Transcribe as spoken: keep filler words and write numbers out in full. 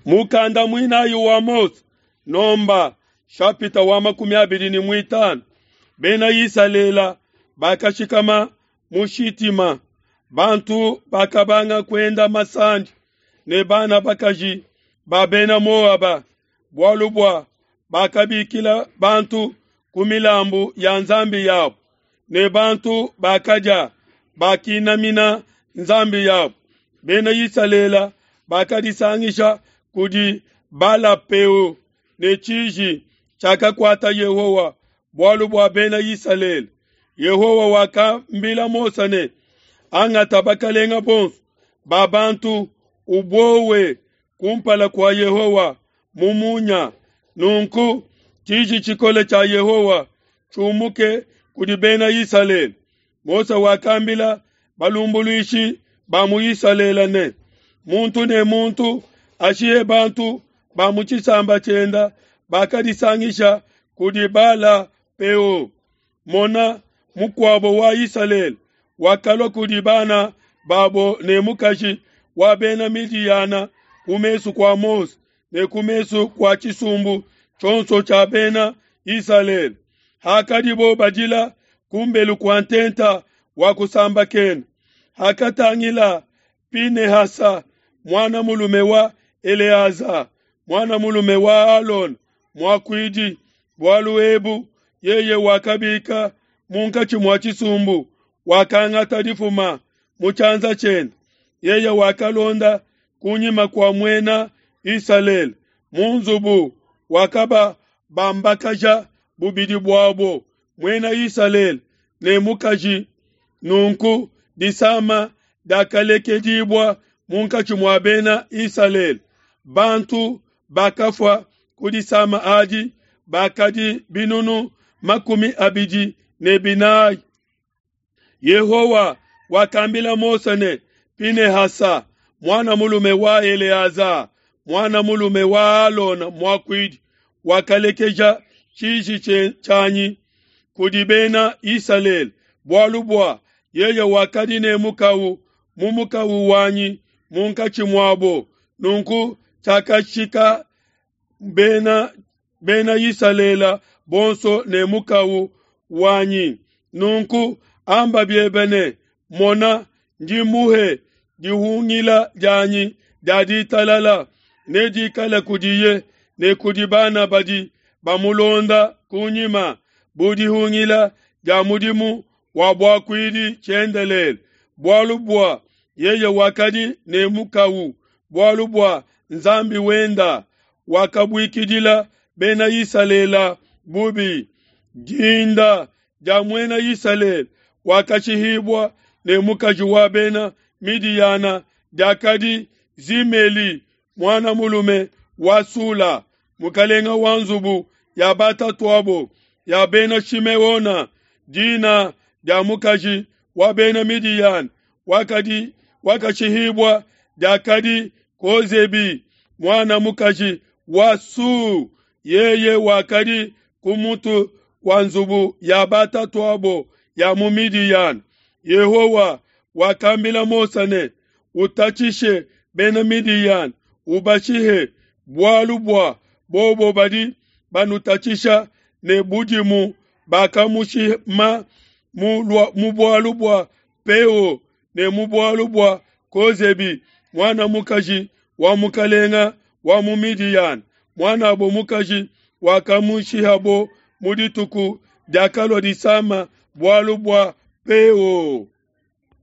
Mukanda muinayi wa Mose, Nomba shapita wa makumi abidi ne muitanu. Bena Isalele bakashikama mu Shitima. Bantu bakabanga kuenda masandi ne bana bakaji ba bena Moaba, bualu bua bakabikila bantu ku milambu ya nzambi yabo, ne bantu bakadia bakinamina nzambi yabo. Bena Isalele bakadisangisha kudi Bala-peo, ne tshiji tshiakakuata Yehowa bualu bua bena Isalele. Yehowa wakambila Mose ne, angata bakalenga bonso ba bantu ubowe kumpala kua Yehowa mu munya. Nunku tshiji tshikole tshia Yehowa tshiumuke kudi bena Isalele. Mose wakambila balumbuluishi ba mu Isalele ne, muntu ne muntu ashihe bantu ba mu tshisamba tshienda bakadisangisha kudi Bala-peo. Mona, mukuabo wa Isalele wakalua kudi bana babo ne mukaji wa bena Midiyana ku mesu kua Mose ne ku mesu kua tshisumbu tshionso tshia bena Isalele. Hakadibo badila kumbelu kua ntenta wa kusambakena, hakatangila Pinehasa muana mulume wa Eleaza muana mulume wa Alona muakuidi bualu ebu, yeye wakabika munkatshi mua tshisumbu, wakangata difuma mu tshianza tshiende. Yeye wakalonda kunyima kua muena Isalele mu nzubu, wakababambakaja bubidi buabo, muena Isalele ne mukaji. Nunku disama diakalekedibua munkatshi mua bena Isalele. Bantu bakafua ku disama adi bakadi binunu makumi abidi ne binayi. Yehowa wakambila Mose ne, Pinehasa muana mulume wa Eleaza muana mulume wa Alona muakuidi wakalekeja tshiji tshianyi kudi bena Isalele, bualu bua yeye wakadi ne mukawu mu mukawu wanyi munkatshi muabo. Nunku tshiakashika bena bena Isalele bonso ne mukawu wanyi. Nunku amba biebe ne, mona, ndi muhe dihungila dianyi dia ditalala, nedikale kudiye ne kudi bana badi bamulonda kunyima, bu dihungila dia mudimu wa buakuidi tshiendelele, bualu bua yeye wakadi ne mukawu, bualu bua Nzambi wenda wakabuikidila bena Isalele bubi. Dinda dia muena Isalele wakashihibua ne mukaji wa bena Midiyana diakadi Zimeli muana mulume wa Sula, mukalenga wa nzubu ya batatuabo ya bena Shimeona. Dina dia mukaji wa bena Midiyana wakadi wakashihibua diakadi Kozebi muana mukaji wa Su, yeye wakadi ku mutu wa nzubu ya batatuabo ya mu Midiyana. Yehowa wakambila Mose ne, utatshishe bena Midiyana, ubashihe, bualu bua bobo badi banutatshisha ne budimu bakamushima mu bualu bua Peo ne mu bualu bua Kozebi muana mukaji wa mukalenga wa mu Midiyana, muanabo mukaji wakamushihabo mu dituku diakalua disama bualu bua Peo.